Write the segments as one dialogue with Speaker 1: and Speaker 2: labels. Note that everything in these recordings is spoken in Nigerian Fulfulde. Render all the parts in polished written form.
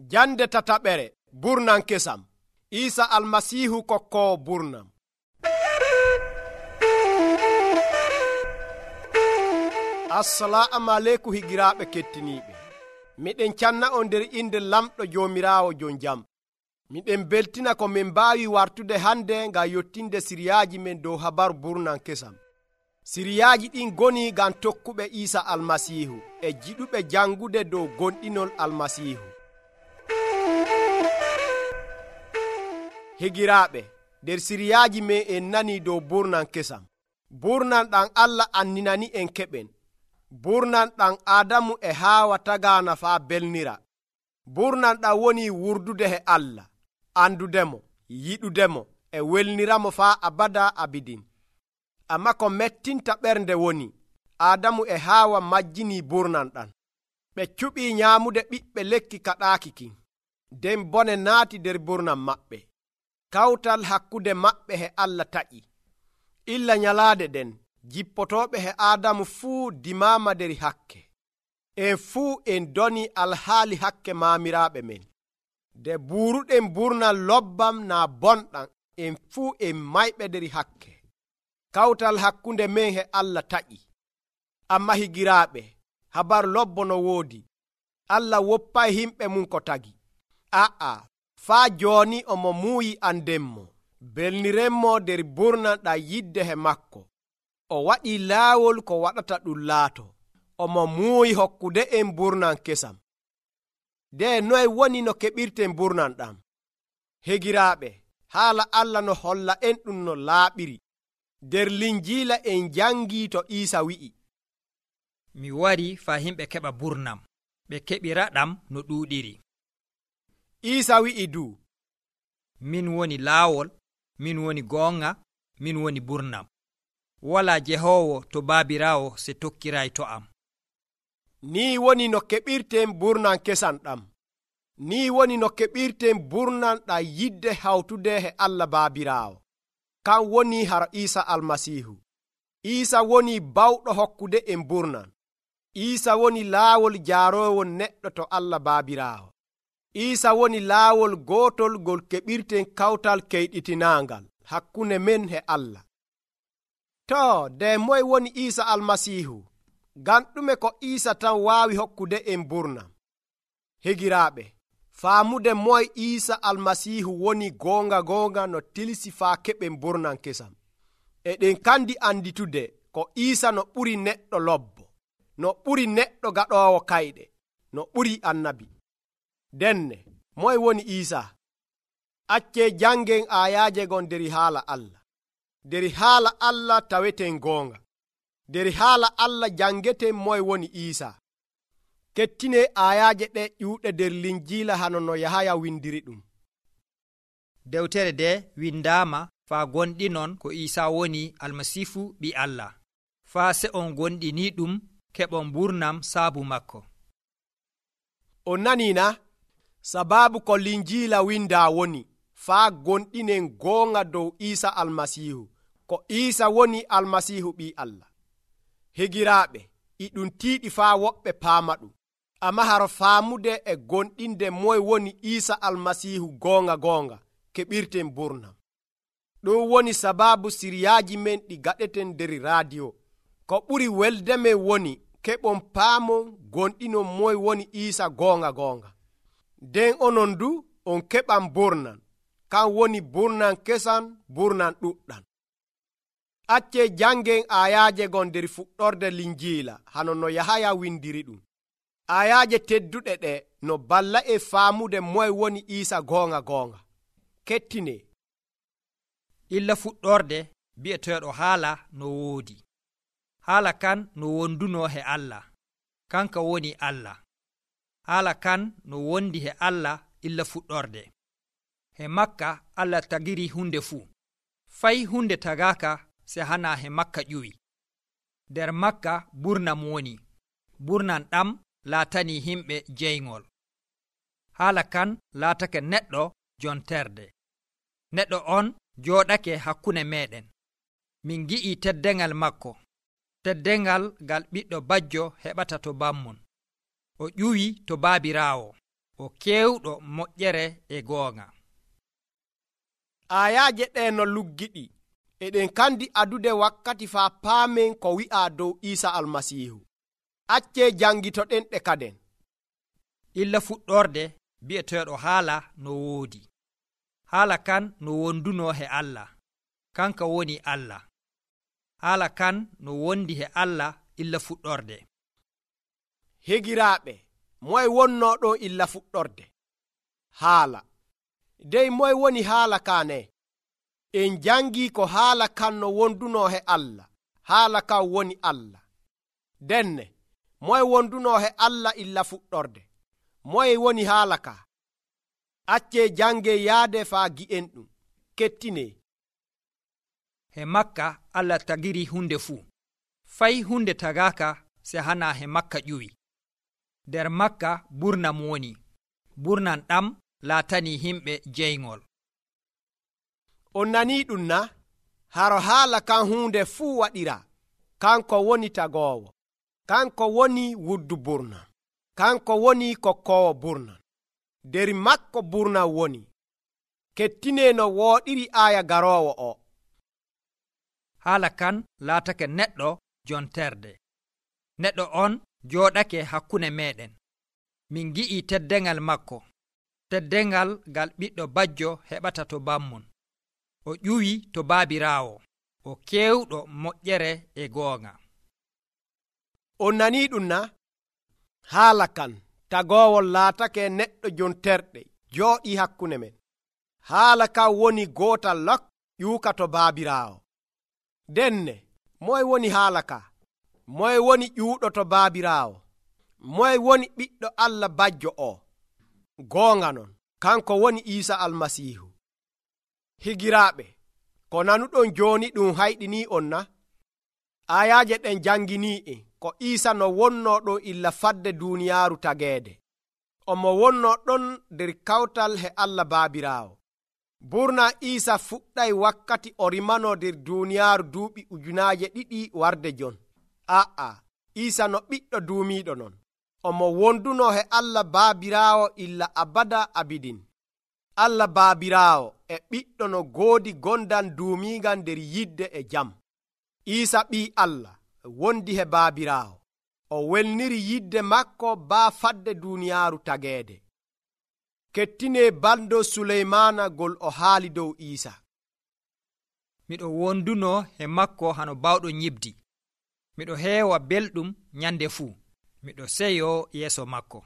Speaker 1: Jande tataɓere burnan kesam. Isa almasihu kokkowo burnam. Assalamu aleykum higiraaɓe kettiniiɓe. Miɗen canna on nder inde lamɗo Joomiraawo jon jam. Miɗen beltina ko min mbaawi wartude hande ngam yottinde siriyaaji men dow habaru burnan kesam. Siriyaaji ɗin goni ngam tokkuɓe Isa almasihu e jiɗuɓe jangude dow gonɗinol almasihu. Higiraaɓe, nder siriyaaji men en nani dow burnan kesam. Burnan ɗan Allah anninani en keɓen. Burnan ɗan Adamu e Haawa tagaana faa belnira. Burnan ɗan woni wurdude he Allah, andudemo, yiɗudemo e welniramo faa abada abidin. Amma ko mettinta ɓernde woni Adamu e Haawa majjini burnan ɗan. Ɓe cuɓii nyaamude ɓiɓɓe lekki kaɗaaki kin. Nden bone naati nder burnan maɓɓe. Kawtal hakkude maɓɓe he Allah taƴi. Illa nyalaade ɗen jippotooɓe he Adamu fuu dimaama nder hakke. En fuu en doni alhaali hakke maamiraaɓe men. Nde buuruɗen burnal lobbam naa bonɗam, en fuu en mayɓe nder hakke. Kawtal hakkunde men he Allah taƴi. Amma higiraaɓe, habar lobbo no woodi. Allah woppay himɓe mum ko tagi. Faa jooni omo muuyi andenmo. Belnirenmo nder burnan ɗam yidde he makko. O waɗii laawol ko waɗata ɗum laato. Omo muuyi hokkude en burnan kesam. Nde noye woni no keɓirten burnan ɗam? Hegiraaɓe, haala Allah no holla en ɗum no laaɓiri. Nder Linjiila en jangii to Iisa wi'i,
Speaker 2: mi wari faa himɓe keɓa burnam, ɓe keɓira ɗam no ɗuuɗiri.
Speaker 1: Iisa wi'i du,
Speaker 2: min woni laawol, min woni goonga, min woni burnam. Walaa Jehoowo to Baabiraawo se tokkiray to am.
Speaker 1: Ni woni no keɓirten burnan kesam ɗam. Ni woni no keɓirten burnan ɗam yidde hawtude he Allah Baabiraawo. Kan woni har Iisa almasihu. Iisa woni bawɗo hokkude en burnan. Iisa woni laawol jaaroowol neɗɗo to Allah Baabiraawo. Iisa woni laawol gootol ngol keɓirten kawtal keyɗitinaangal hakkunde men he Allah. To, nde moye woni Iisa almasihu? Ngam ɗume ko Iisa tan waawi hokkude en burnam? Higiraaɓe, faamude moye Iisa almasihu woni goonga no tilsi faa keɓen burnan kesam. Eɗen kandi anditude ko Iisa no ɓuri neɗɗo lobbo, no ɓuri neɗɗo gaɗoowo kayɗe, no ɓuri annabi. Denne, moye woni Iisa? Accee jangen aayaaje gon nder haala Allah. Nder haala Allah taweten goonga. Nder haala Allah jangeten moye woni Iisa. Kettine aayaaje ɗe ƴuuɗe nder Linjiila hano no Yahaya windiri ɗum.
Speaker 2: Dewtere de windaama faa gonɗinon ko Iisa woni almasifu ɓi Allah. Faa se on gonɗini ɗum keɓon burnam saabu makko.
Speaker 1: On naniina? Sababu ko Linjiila windaa woni faa gonɗinen goonga dow Iisa almasihu, ko Iisa woni almasihu ɓi Allah. Higiraaɓe, iɗum tiiɗi faa woɓɓe paama ɗum. Amma haro faamude e gonɗinde moye woni Iisa almasihu goonga keɓirten burnam. Ɗum woni sababu siriyaaji men ɗi gaɗeten nder raadiyo. Ko ɓuri welde men woni keɓon paamon gonɗinon moye woni Iisa goonga. Nden onon du on keɓan burnan, kan woni burnan kesan, burnan ɗuɗɗan. Accee jangen aayaaje gon nder fuɗɗorde Linjiila hano no Yahaya windiri ɗum. Aayaaje tedduɗe ɗe no balla e faamude moye woni Iisa goonga. Kettine.
Speaker 2: Illa fuɗɗorde bi'eteeɗo haala no woodi. Haala kan no wonduno he Allah, kanka woni Allah. Haala kan no wondi he Allah illa fuɗɗorde. He makka Allah tagiri hunde fuu. Fay hunde tagaaka se hana he makka ƴuwi. Nder makka burnam woni. Burnan ɗam laatani himɓe jeyngol. Haala kan laatake neɗɗo jonterde. Neɗɗo on jooɗake hakkunde meɗen. Min gi'i teddengal makko. Teddengal ngal ɓiɗɗo bajjo heɓata to bammon. O ƴuwi to Baabiraawo. o kewɗo moƴƴere e goonga.
Speaker 1: Ayaaje ɗe no luggiɗi eɗen kandi adude wakkati faa paamen ko wi'a dow Iisa Almasiihu. Acce jangitoɗen ɗe kaden.
Speaker 2: Illa fuɗɗorde bi'eteeɗo haala no woodi. Haala kan no wonduno he Allah, kanka woni Allah. Haala kan no wondi he Allah illa fuɗɗorde.
Speaker 1: Higiraaɓe, moye wonno ɗo illa fuɗɗorde? Haala. Dey moye woni haala kaane? En jangi ko haala kan no wonduno he Allah. Haala kan woni Allah. Denne, moye wonduno he Allah illa fuɗɗorde? Moye woni haala ka? Acce jange yaade faa gi'en ɗum. Kettine.
Speaker 2: He makka Allah tagiri hunde fuu. Fay hunde tagaaka se hana he makka ƴuwi. Der makka burnam woni. Burnan ɗam laatani himɓe jeyngol.
Speaker 1: On nanii ɗum na? Haro haala kan hunde fuu waɗira. Kanko woni tagoowo. Kanko woni wuddu burnan. Kanko woni kokkoowo burnan. Der makko burnan woni. Kettine no wooɗiri aaya garoowo o.
Speaker 2: Haala kan laatake neɗɗo jonterde. Neɗɗo on jooɗake hakkunde meɗen. Min gi'i teddengal makko. Teddengal gal ɓiɗɗo bajjo heɓata to bammon. O ƴuwi to baabiraawo. O kewɗo moƴƴere e goonga.
Speaker 1: On nanii ɗum na? Haala kan tagoowol laatake neɗɗo jonterɗe jooɗi hakkunde men. Haala kan woni gootal lok ƴuuka to baabiraawo. Denne, moye woni haala ka? Moye woni ƴuuɗo to baabiraawo? Moye woni ɓiɗɗo Allah bajjo o? Goonga non, kanko woni Iisa Almasiihu. Higiraaɓe, ko nanuɗon jooni ɗum hayɗinii on na? Ayaaje ɗen janginii ko Iisa no wonno ɗo illa fadde duuniyaaru tageede. Omo wonno ɗon nder kawtal he Allah baabiraawo. Burna Iisa fuɗɗay wakkati o rimano nder duuniyaaru duuɓi 2,000 warde jon. Aa, Iisa no ɓiɗɗo duumiiɗo non. Omo wonduno he Allah baabiraawo illa abada abidin. Allah baabiraawo e ɓiɗɗo no goodi gondan duumiigal nder yidde e jam. Iisa ɓii Allah wondi he baabiraawo. O welniri yidde makko baa fadde duuniyaaru tageede. Kettine bando Suleymaana gol o haali dow Iisa.
Speaker 2: Miɗo wonduno he makko hano bawɗo nyibdi. Miɗo heewa belɗum nyande fuu. Miɗo seyo yeeso makko.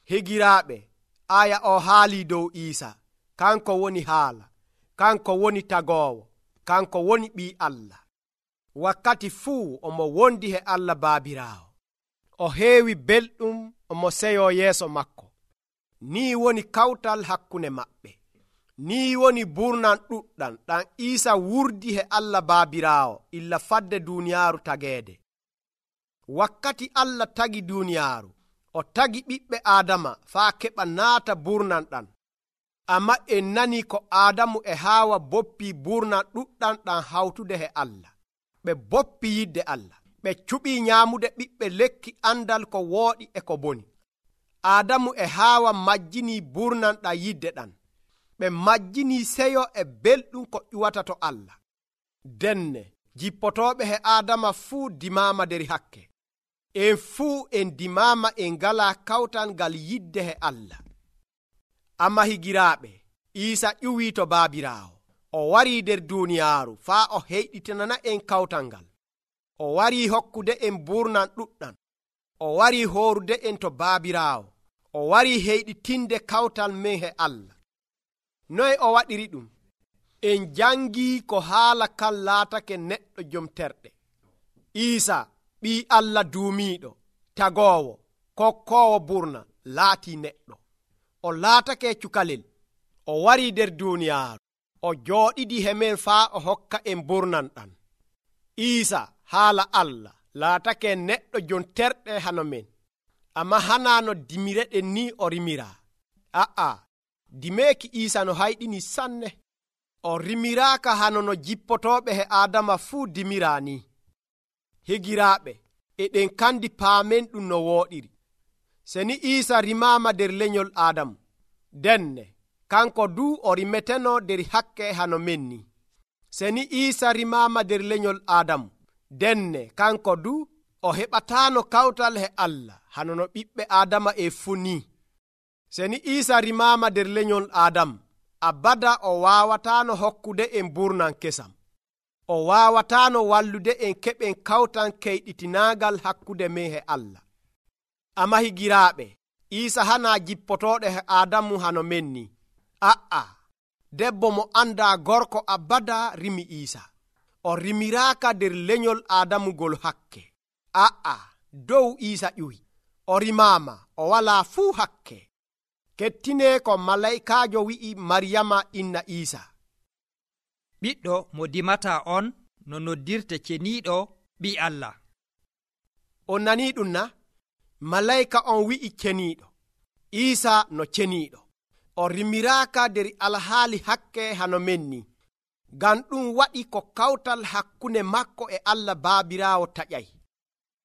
Speaker 1: Higiraaɓe, aya o haali dow Iisa. Kanko woni haala. Kanko woni tagoowo. Kanko woni ɓii Allah. Wakkati fuu omo wondi he Allah baabiraawo. O heewi belɗum omo seyo yeeso makko. Nii woni kawtal hakkunde maɓɓe. Nii woni burnan ɗuɗɗan ɗan Iisa wurdi he Allah baabiraawo illa fadde duuniyaaru tageede. Wakkati Allah tagi duuniyaaru, o tagi ɓiɓɓe Aadama faa keɓa naata burnan ɗan. Amma en nani ko Aadamu e Haawa boppi burnan ɗuɗɗan ɗan hawtude he Allah. Ɓe boppi yidde Allah. Ɓe cuɓii nyaamude ɓiɓɓe lekki andal ko wooɗi e ko boni. Aadamu e Haawa majjinii burnan ɗan yidde ɗan. Ɓe majjinii seyo e belɗum ko ƴuwata to Allah. Denne, jippotooɓe he Aadama fuu dimaama nder hakke. En fuu en dimaama en ngalaa kawtal ngal yidde he Allah. Amma higiraaɓe, Iisa ƴuwii to baabiraawo. O warii nder duuniyaaru faa o heyɗitinana en kawtal ngal. O warii hokkude en burnan ɗuɗɗan. O warii hoorude en to baabiraawo. O warii heyɗitinde kawtal men he Allah. Noye o waɗiri ɗum? En jangii ko haala kan laatake neɗɗo jom terɗe. Iisa, ɓii Allah duumiiɗo, tagoowo, kokkoowo burna, laatii neɗɗo. O laatake cukalel. O warii nder duuniyaaru. O jooɗidi he men faa o hokka en burnan ɗan. Iisa, haala Allah, laatake neɗɗo jon terɗe hano men. Amma hanaano dimireɗen ni o rimiraa. Aa, dimeeki Iisa no hayɗini sanne. O rimiraaka hano no jippotooɓe he Aadama fuu dimiraa ni. Higiraaɓe, eɗen kandi paamen ɗum no wooɗiri. seni Iisa rimaama nder lenyol Aadamu, denne kanko du o rimeteno nder hakke hano menni. Seni Iisa rimaama nder lenyol Aadamu, denne kanko du o heɓataano kawtal he Allah hano no ɓiɓɓe Aadama fuu ni. Seni Iisa rimaama nder lenyol Aadamu, abada o waawataano hokkude en burnan kesam. O waawataano wallude en keɓen kawtan keyɗitinaagal hakkude men he Allah. Amma higiraaɓe, Iisa hana jippotooɗo he Aadamu hano menni. Debbo mo andaa gorko abada rimi Iisa. O rimiraaka nder lenyol Aadamu gol hakke. Dow Iisa ƴuwi. O rimaama, o walaa fuu hakke. Kettine ko malaikaajo wi'i Maryama inna Iisa.
Speaker 2: ɓiɗɗo mo dimata on no noddirte ceniiɗo ɓi Allah.
Speaker 1: On nanii ɗum na? Malaika on wi'i ceniiɗo, Iisa no ceniiɗo. O rimiraaka nder alhaali hakke hano menni. Ngam ɗum waɗi ko kawtal hakkunde makko e Allah Baabiraawo taƴay.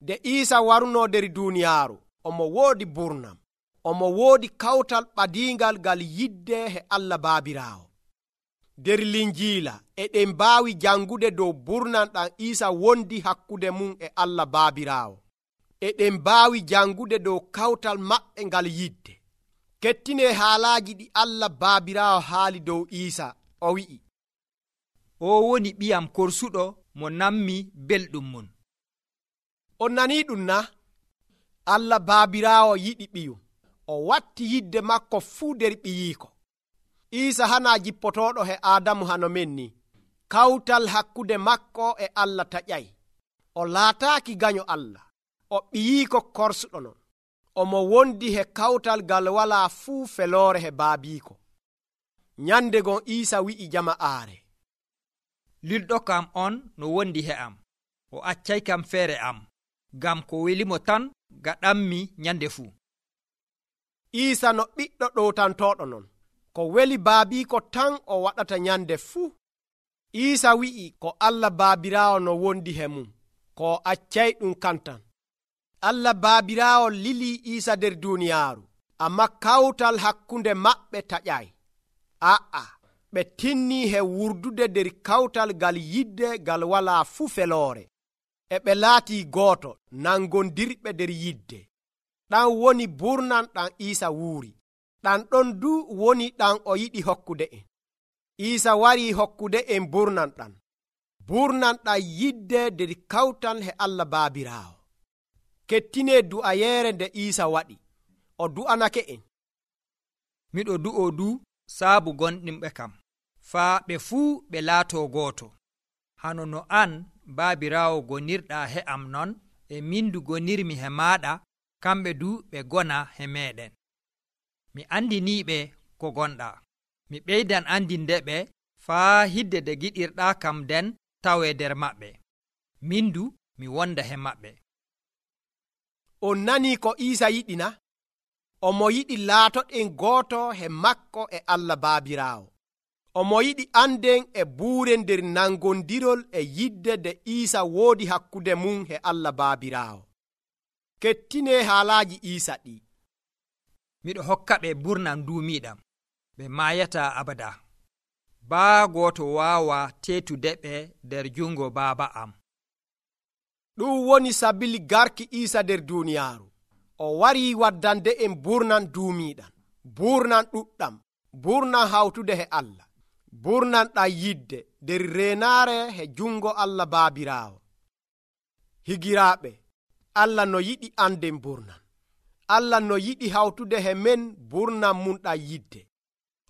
Speaker 1: Nde Iisa waruno nder duuniyaaru, omo woodi burnam. Omo woodi kawtal ɓadiingal ngal yidde he Allah Baabiraawo. Nder Linjiila eɗen mbaawi jangude dow burnan ɗam Iisa wondi hakkude mum e Allah Baabiraawo. Eɗen mbaawi jangude dow kawtal maɓɓe ngal yidde. Kettine haalaaji ɗi Allah Baabiraawo haali dow Iisa, o wi'i,
Speaker 2: o woni ɓiyam korsuɗo mo nammi belɗum mum.
Speaker 1: On nanii ɗum na? Allah Baabiraawo yiɗi ɓiyum. O watti yidde makko fuu nder ɓiyiiko. Iisa hana jippotooɗo he Aadamu hano menni. Kawtal hakkude makko e Allah taƴay. O laataaki ganyo Allah. O ɓiyiiko korsuɗo non. Omo wondi he kawtal gal walaa fuu feloore he baabiiko. Nyande gon Iisa wi'i jama'aare,
Speaker 2: lilɗo kam on no wondi he am, o accay kam feere am, ngam ko welimo tan gaɗanmi nyande fuu.
Speaker 1: Iisa no ɓiɗɗo ɗowtantooɗo non. Ko weli baabiiko tan o waɗata nyande fuu. Iisa wi'i ko Allah Baabiraawo no wondi he mum, ko accay ɗum kantan. Allah Baabiraawo lilii Iisa nder duuniyaaru, amma kawtal hakkunde maɓɓe taƴay. Ɓe tinnii he wurdude nder kawtal gal yidde gal walaa fuu feloore. E ɓe laatii gooto nangondirɓe nder yidde. Ɗan woni burnan ɗam Iisa wuuri. Ɗan ɗon du woni ɗan o yiɗi hokkude en. Iisa warii hokkude en burnan ɗan. Burnan ɗam yidde nder kawtal he Allah Baabiraawo. Kettine du'ayeere nde Iisa waɗi. O du'anake en.
Speaker 2: Miɗo du'o du saabu gonɗinɓe kam, faa ɓe fuu ɓe laatoo gooto. Hano no an, Baabiraawo, gonirɗaa he am non, e min du gonirmi he maaɗa, kamɓe du ɓe gona he meeɗen. Mi andiniiɓe ko gonɗaa. Mi ɓeydan andinde ɓe faa hidde nde giɗirɗaa kam den tawee nder maɓɓe. Min du mi wonda he maɓɓe.
Speaker 1: On nanii ko Iisa yiɗi na? Omo yiɗi laatoɗen gooto he makko e Allah Baabiraawo. Omo yiɗi anden e buuren nder nangondirol e yidde nde Iisa woodi hakkude mum he Allah Baabiraawo. Kettine haalaaji Iisa ɗi.
Speaker 2: Miɗo hokka ɓe burnan duumiiɗam, ɓe maayata abada. Baa gooto waawa teetude ɓe nder jungo baaba am.
Speaker 1: Ɗum woni sabili garki Iisa nder duuniyaaru. O warii waddande en burnan duumiiɗam, burnan ɗuɗɗam, burnan hawtude he Allah, burnan ɗam yidde nder reenaare he jungo Allah Baabiraawo. Higiraaɓe, Allah no yiɗi anden burnan. Allah no yiɗi hawtude he men burnan mum ɗam yidde.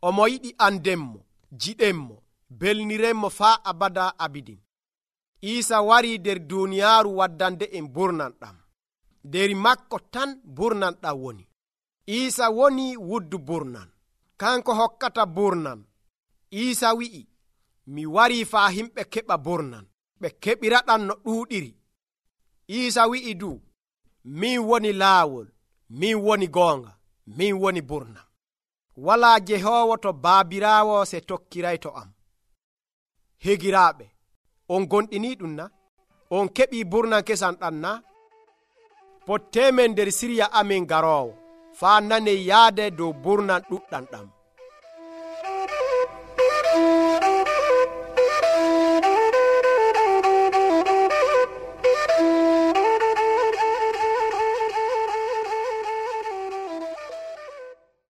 Speaker 1: Omo yiɗi andenmo, jiɗenmo, belnirenmo faa abada abidin. Iisa warii nder duuniyaaru waddande en burnan ɗam. Nder makko tan burnan ɗam woni. Iisa woni wuddu burnan. Kanko hokkata burnan. Iisa wi'i, mi warii faa himɓe keɓa burnan, ɓe keɓiraɗam no ɗuuɗiri. Iisa wi'i du, min woni laawol, min woni goonga, min woni burnan. Walaa Jehoowo to Baabiraawo se tokkirayto am. Higiraaɓe, on gonɗinii ɗum na? On keɓii burnan kesan ɗam na? Pottemen nder sirya amin garoowo, faa naney yaade dow burnan ɗuɗɗam ɗam.